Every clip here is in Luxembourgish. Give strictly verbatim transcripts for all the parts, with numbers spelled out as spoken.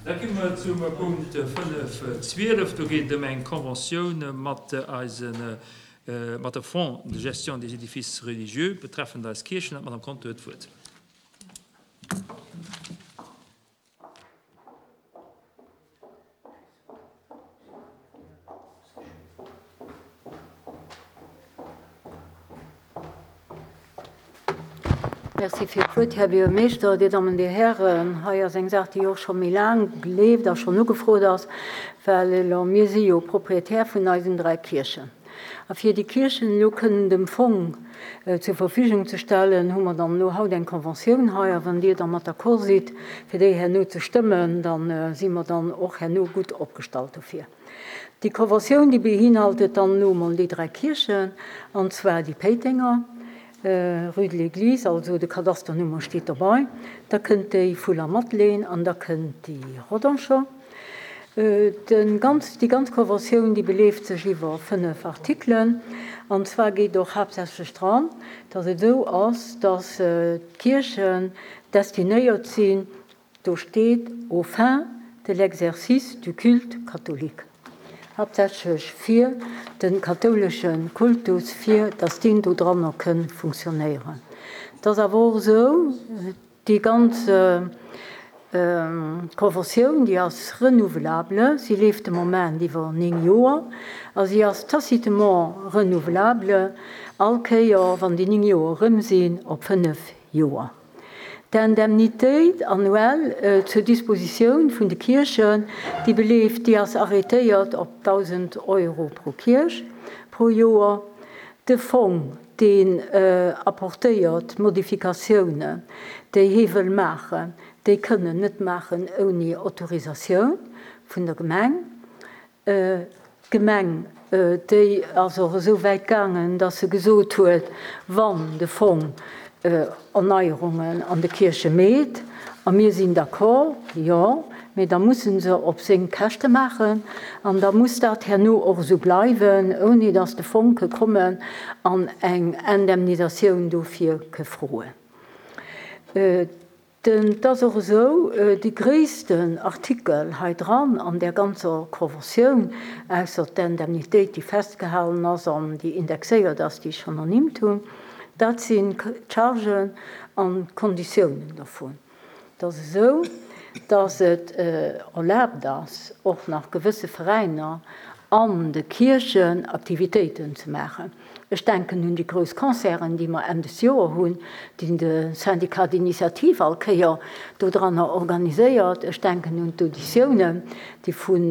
Da komme mer zum Punkt fënnef zwielef. Do geet et ëm eng Conventioun mat eisen, mat dem Fonds de gestion des édifices religieux betreffend eis Kierchen. An d'Madame Conter huet d'Wuert. Merci fir d'Wuert, Här Buergermeeschter, Dir Dammen, Dir Hären. Hei ass eng Saach, déi och scho méi laang leeft a schonn ugefrot ass, well elo mir si jo Proprietär vun eisen dräi Kierchen. A fir déi Kierchen elo kënnen dem Fong zur Verfügung ze stellen, hu mer dann elo haut eng Conventioun hei. A wann Dir da mat d'accord sidd, fir déi herno ze stëmmen, da si mer dann och herno gutt opgestallt dofir. Déi Conventioun, déi beinhaltet dann elo emol déi dräi Kierchen, an zwar déi Péitenger, Rue de l'Église, also de Kadasternummer steet dobei, da kënnt déi vu La Madeleine an da kënnt déi Rodancher. Den ganz, déi ganz Conventioun, déi beleeft sech iwwer fënnef Artikelen, an zwar geet och haaptsächlech dran, dass et esou ass, dass d'Kierchen destinéiert sinn, do steet aux fins de l'exercice du culte catholique, haaptsächlech fir de kathoulesche Kultus, fir dass deen do dranner kënn funktionéieren. Et ass awer och esou, déi ganz Conventioun, déi ass renouvelable, si leeft de Moment iwwer néng Joer a si ass tacitement renouvelable all Kéier, wann déi néng Joer erëm sinn, op fënnef Joer. D'Indemnitéit annuelle zur Dispositioun vun de Kierchen, déi beleeft, déi ass arrêtéiert op dausend Euro pro Kierch pro Joer. De Fong, deen apportéiert Modifikatiounen, déi hie wëll maachen, déi kënnen net maachen ouni Autorisatioun vun der Gemeng. D'Gemeng, déi ass och esou wäit gaangen, dass se gesot huet, wann de Fong Erneierungen an de Kierche meet, a mir sinn d'accord, jo, mee da mussen se op seng Käschte maachen an da muss dat herno och esou bleiwen, ouni dass de Fong ke kommen an eng Indemnisatioun dofir ke froen. Et ass och esou, dee gréissten Artikel hei dran an där ganzer Conventioun, ausser d'Indemnitéit, déi festgehalen ass an déi indexéiert ass, déi ech schonn ernimmt hunn, dat sinn d'Chargen an d'Konditiounen dovun. Et ass esou, dass et erlaabt ass, och nach gewësse Veräiner an de Kierchen Aktivitéiten ze maachen. Ech denken un déi grouss Concerten, déi mer Enn des Joer hunn, déi de Syndicat d'initiative all Kéier dodranner organiséiert. Ech denken un d'Auditiounen, déi vun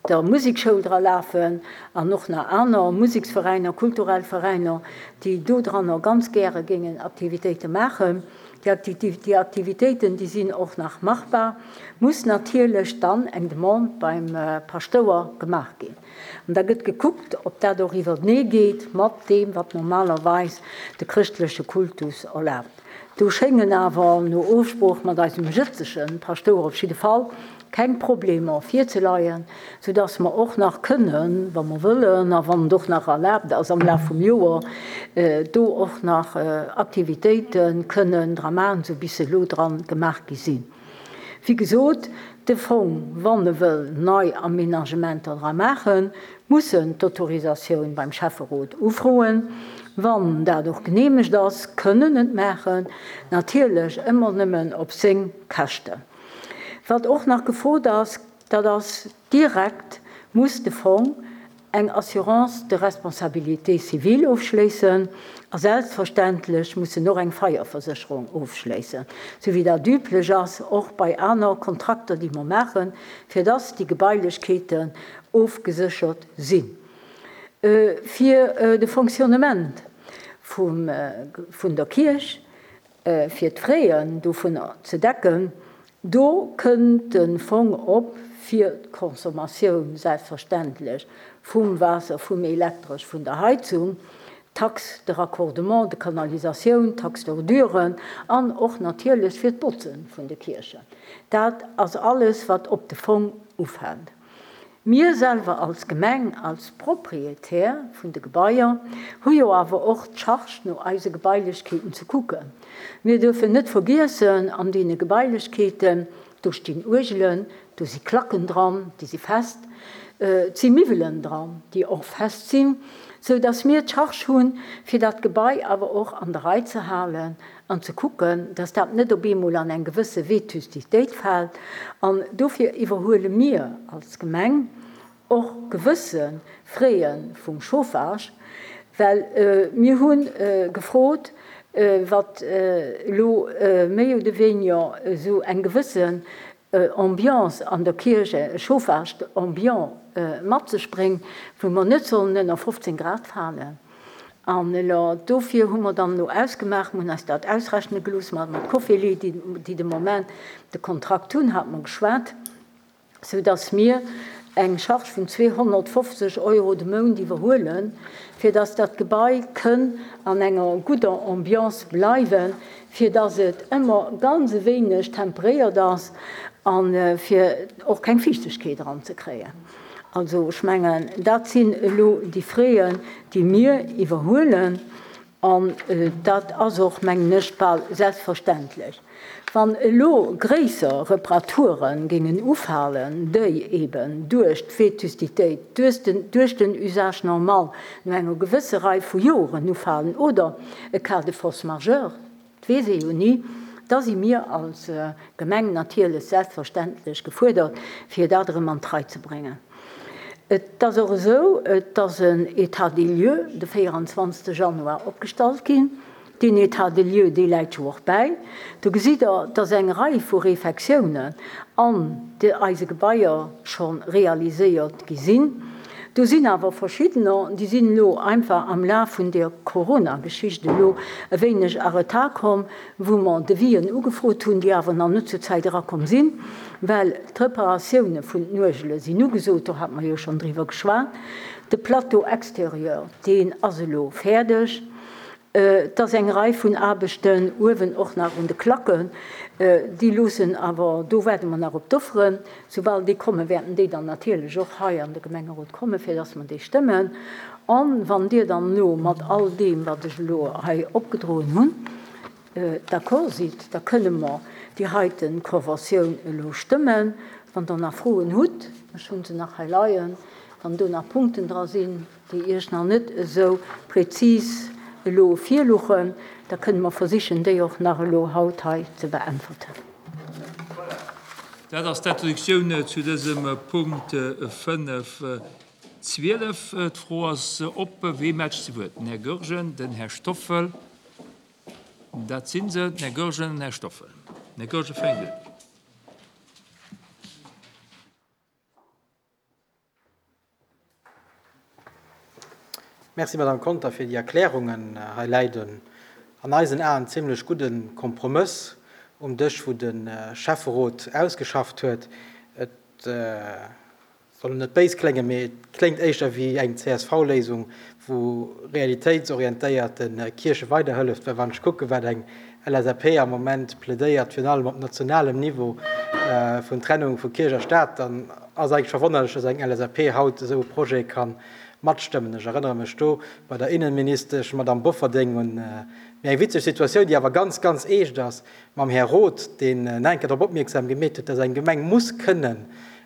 der Musekschoul dra lafen an och nach aner Museksveräiner, kulturell Veräiner, déi dodranner ganz gäre géingen Aktivitéite maachen. Déi Aktivitéiten, déi sinn och nach machbar, muss natierlech dann eng Demande beim Paschtouer gemaach ginn. An da gëtt gekuckt, ob dat och iwwertenee geet mat deem, wat normalerweis de chrëschtleche Kultus erlaabt. Do schéngen awer no Ofsprooch mat eisem jëtzege Paschtouer op jidde Fall keng Problemer virzeleien, soudass mer och nach kënnen, wa mer wëllen a wann et och nach erlaabt ass am Laf vum Joer, do och nach Aktivitéite kënnen dra maachen, esou bis se elo dran gemaach gi sinn. Wéi gesot, de Fong, wann e wëll nei Aménagementer dra maachen, muss en d'Autorisatioun beim Schäfferot ufroen. Wann dat och geneemegt ass, kënnen en et maachen, natierlech ëmmer nëmmen op seng Käschten. Wat och nach gefrot ass, dat ass direkt muss de Fong eng Assurance de responsabilité civile ofschléissen a selbstverständlech muss en och eng Feierversécherung ofschléissen, sou wéi dat üblech ass och bei aner Kontrakter, déi mer maachen, fir dass déi Gebailechkeeten ofgeséchert sinn. Fir de Fonctionnement vum, vun der Kierch, fir d'Fraien dovunner ze decken, do kënnt de Fong op fir d'Consommatioun selbstverständlech vum Waasser, vum Elektresch, vun der Heizung, d'Taxe de raccordement, de canalisatioun, d'Taxe d'ordure an och natierlech fir d'Botze vun de Kierchen. Dat ass alles, wat op de Fong ufält. Mir selwer als Gemeng, als Proprietär vun de Gebaier, hu jo awer och d'Charge, no eise Gebailechkeeten ze kucken. Mir dürfen net vergiessen, an deene Gebailechkeeten, Do stinn Uergelen, do si Klacken dran, déi si fest, et si Miwwelen dran, déi och fest sinn, sou dass mir d'Charge hunn, fir dat Gebai awer och an der Rei ze halen an ze kucken, dass dat net op eemol an eng gewësse Vétustitéit fält. An dofir iwwerhuele mir als Gemeng och gewësse Frais vum Chauffage, well mir hu gefrot, wat elo méi oder weniger esou eng gewëssen Ambiance an der Kierch, e Chauffage ambiant mat sech bréngt, wou mer net sollen ënner fofzéng Grad falen. An elo dofir hu mer dann elo ausgemaach, mer hunn eis dat ausrechne gelooss mat Cofely, déi de Moment de Kontrakt hunn, hate mer geschwat, sou dass mir eng Charge vun zweehonnertfofzeg Euro de Mount iwwerhuelen, fir dass dat Gebai kënn an enger gudder Ambiance bleiwen, fir dass et ëmmer ganz e wéineg temperéiert ass a fir och keng Fiichtegkeet eranzekréien. Also ech mengen, dat sinn elo déi Frais, déi mir iwwerhuelen. An dat ass och, mengen ech, bal selbstverständlech. Wann elo gréisser Reparature géingen ufalen, déi eben duerch d'Vétustitéit, duerch den Usage normal no enger gewësse Rei vu Joren ufalen oder e Cas de force majeure, dat weess ee jo ni, da si mir als Gemeng natierlech selbstverständlech gefuerdert, fir dat erëm an d'Rei ze bréngen. Et ass och esou, et ass en État des lieux de véieranzwanzegste Januar opgestallt ginn. Deen État des lieux, dee läit jo och bäi. Do gesitt Der, dass eng Rei vu Refektiounen an eise Gebaier scho realiséiert gi sinn. Do sinn awer verschiddener, déi sinn elo einfach am Laf vun där Corona-Geschicht elo e wéineg a Retard komm, wou mer Devisen ugefrot hunn, déi awer nach net zur Zäit erakomm sinn, well d'Reparatioune vun den Uergele sinn ugesot, do hate mer jo schonn driwwer geschwat. De Plateau extérieur, deen ass elo fäerdeg. Et ass eng Rei vun Aarbechten uewen och nach un de Klacken, déi loossen awer, do waarde mer nach op d'Offeren. Soubal déi kommen, wäerten déi dann natierlech och hei an de Gemengerot kommen, fir dass mer déi stëmmen. A wann Dir dann elo mat all deem, wat ech elo hei opgedroen hunn, d'accord sidd, da kënne mer déi heite Conventioun elo stëmmen. Wann Der nach Froen hutt, ech hu se nach hei leien, wann do nach Punkten dra sinn, déi Iech nach net esou prezis elo virluchen, da kënne mer versichen, déi och nach elo haut hei ze beäntwerten. Voilà. Dat ass d'Introduktioun zu dësem Punkt fënnef zwielef. D'Fro ass op, Wee mellt sech zu Wuert? Den Här Goergen, den Här Stoffel. Dat si se, den Här Goergen an den Här Stoffel. Den Här Goergen fänkt un. Merci, Madame Conter, fir déi Erklärungen. Hei läit en an eisen Aen zimlech gudde Kompromëss um Dësch, wou de Schäfferot ausgeschafft huet. Et soll net béis kléngen, mee et kléngt éischter wéi eng C S V-Léisung, wou realitéitsorientéiert de Kierche weiderhëlleft. Well wann ech kucken, wat eng L S A P am Moment plädéiert, virun allem op nationalem Niveau vun Trennung vu Kierch a Staat, dann ass eigentlech verwonnerlech, dass eng L S A P haut esou e Projet kann matstëmmen. Ech erënnere mech do bei der Innenministesch Madame Bofferding un méi eng witzeg Situatioun, déi awer ganz, ganz eescht ass, mam Här Roth, deen nach eng Kéier drop opmierksam gemeet huet, dass eng Gemeng muss kënnen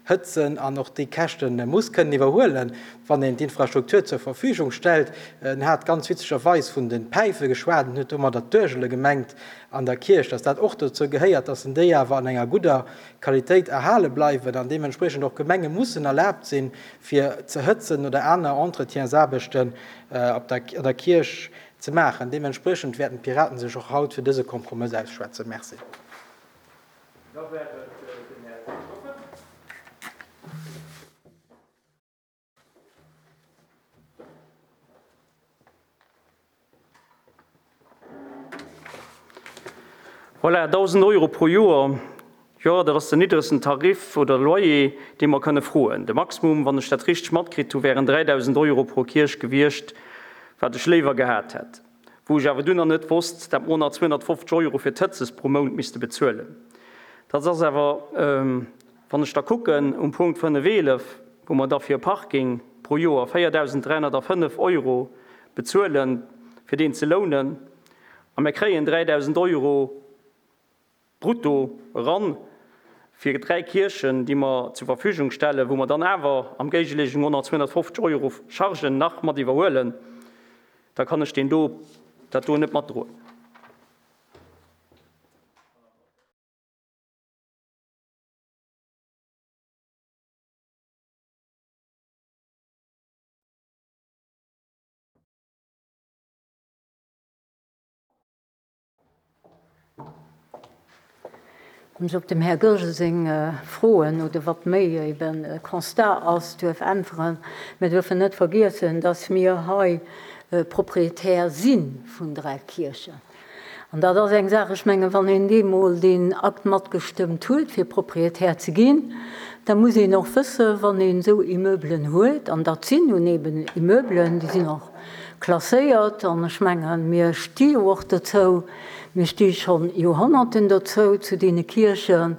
hëtzen an och déi Käschte muss kënnen iwwerhuelen, wann een d'Infrastruktur zur Verfügung stellt. En hat ganz witzegerweis vun de Päife geschwat en huet domadder d'Uergele gemengt an der Kierch, dass dat och dozou gehéiert, dass en déi awer an enger gudder Qualitéit erhale bleiwen an deementsprechend och Gemenge mussen erlaabt sinn, fir ze hëtzen oder aner Entretiensaarbechten op der, an der Kierch ze maachen. Deementsprechend wäerten d'Piraten sech och haut fir dëse Kompromëss ausschwätzen. Merci. Da wär et den Här Stoffel. Voilà, dausend Euro pro Joer. Jo, dat ass den niddregsten Tarif oder Loyer, dee mer kënne froen. De Maximum, wann ech dat richteg matkritt hu, wären dräidausend Euro pro Kierch gewiescht, wat ech léiwer gehat hätt. Wou ech awer dunn nach net wosst, dat mer nach zweehonnertfofzeg Euro fir d'Hëtzes pro Mount misste bezuelen. Dat ass awer, wann ech da kucken, um Punkt fënnef eelef, wou mer da fir Parking pro Joer véierdausend dräihonnertfënnef Euro bezuelen, fir deen ze lounen, a mir kréien dräidausend Euro brutto eran fir dräi Kierchen, déi mer zur Verfügung stellen, wou mer dann awer am Géigeleeschung och nach zweehonnertfofzeg Euro Chargen nach mat iwwerhuelen, da kann ech deen do, dat do net matdroen. Wann ech op dem Här Goergen seng Froen oder wat méi eben e Constat ass, duerf äntweren, Mir dürfen net vergiessen, dass mir hei Proprietär si vun dräi Kierchen. An dat ass eng Saach, ech mengen, wann een deemol deen Akt matgestëmmt huet, fir Proprietär ze ginn, da muss een och wëssen, wann een esou Immeubelen huet, an dat sinn nun eben Immeubelen, déi sinn och klasséiert, an ech mengen, mir sti jo och dozou, mir sti schonn Joerhonnerten dozou, zu deene Kierchen,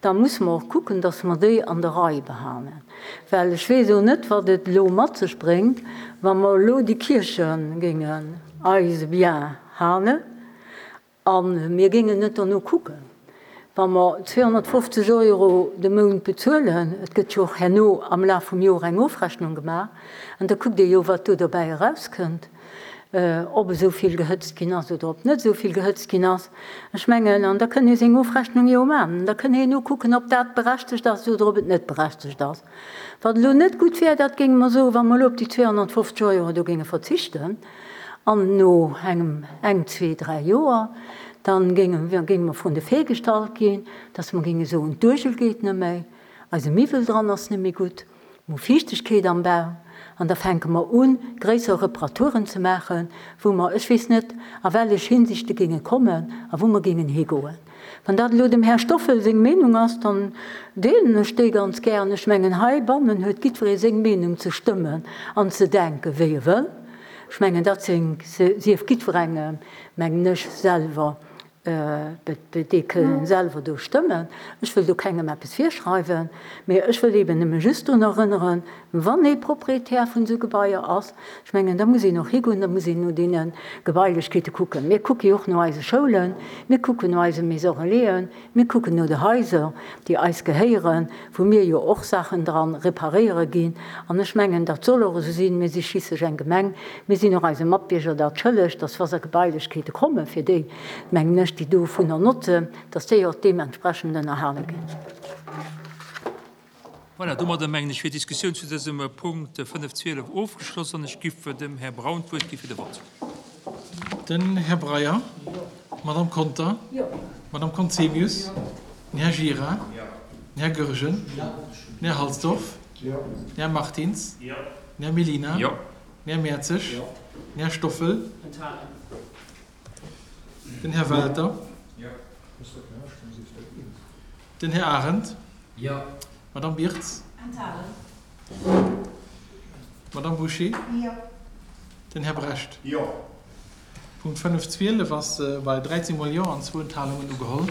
da musse mer och kucken, dass mer déi an der Rei behalen. Well ech weess elo net, wat et elo mat sech bréngt, wa mer elo déi Kierche géingen eise Bien halen a mir géingen net dono kucken. Wa mer zweehonnertfofzeg Euro de Mount bezuelen, et gëtt jo och herno am Laf vum Joer eng Ofrechnung gemaach, an da kuckt ee jo, wat do dobäi erauskënnt, ob esou vill gehëtzt ginn ass oder ob net esou vill gehëtzt ginn ass. Ech mengen, an da kënn ee seng Ofrechnung jo maachen, an da kënn een nokucken, ob dat berechtegt ass oder ob et net berechtegt ass. Wat elo net gutt wär, dat géinge mer soen, wa mer elo op déi zweehonnertfofzeg Euro do géinge verzichten, an no engem, eng, zwee, dräi Joer, dann géinge mer vrun de Fait gestallt ginn, dass mer géinge soen, d'Uergel geet net méi, eise Miwwel dran ass net méi gutt, mer hu Fiichtegkeet am Bau, an da fänke mer un, gréisser Reparaturen ze maachen, wou mer, ech weess net, a wellech Hinsichte géinge kommen a wou mer géingen higoen. Wann dat elo dem Här Stoffel seng Meenung ass, dann deelen ech déi ganz gären. Ech mengen, heibannen huet jiddweree seng Meenung ze stëmmen an ze denken, wéi e wëll. Ech mengen, dat sief jiddwerengem, mengen ech, selwer, déi kënnen selwer do stëmmen. Ech wëll do kengem eppes virschreiwen, mee ech wëll eben nëmme just drun erënneren, wann ee Proprietär vun esou Gebaier ass, ech mengen, da muss een och higoen, da muss een no deene Gebailechkeete kucken. Mir kucke jo och no eise Schoulen, mir kucken no eise Maisons relaisen, mir kucken no de Haiser, déi eis gehéieren, wou mir jo och Saachen dran reparéiere ginn. An ech mengen, dat soll och esou sinn. Mir si schliisslech eng Gemeng, mir sinn och eise Matbierger dat schëlleg, dass wa se Gebailechkeete kommen, fir déi, mengen ech, déi dovunner notzen, dass déi och deementsprechend ënnerhale ginn. Voilà, domadder mengen ech wier d'Diskussioun zu dësem Punkt fënnef zwielef ofgeschloss an ech giff dem Här Braun d'Wuert gi fir de Vott. Den Här Breyer. D'Madame Conter. D'Madame Conzemius. Den Här Gira. Den Här Goergen. Den Här Halsdorf. Den Här Martins. Den Här Mellina. Den Här Mertzig. Den Här Stoffel. Den Här Welter. Den Här Arendt. D'Madame Birtz. D'Madame Bouché. Den Här Brecht. Punkt fënnef zwielef ass bei dräizéng mol Jo an zwou Enthalungen ugeholl.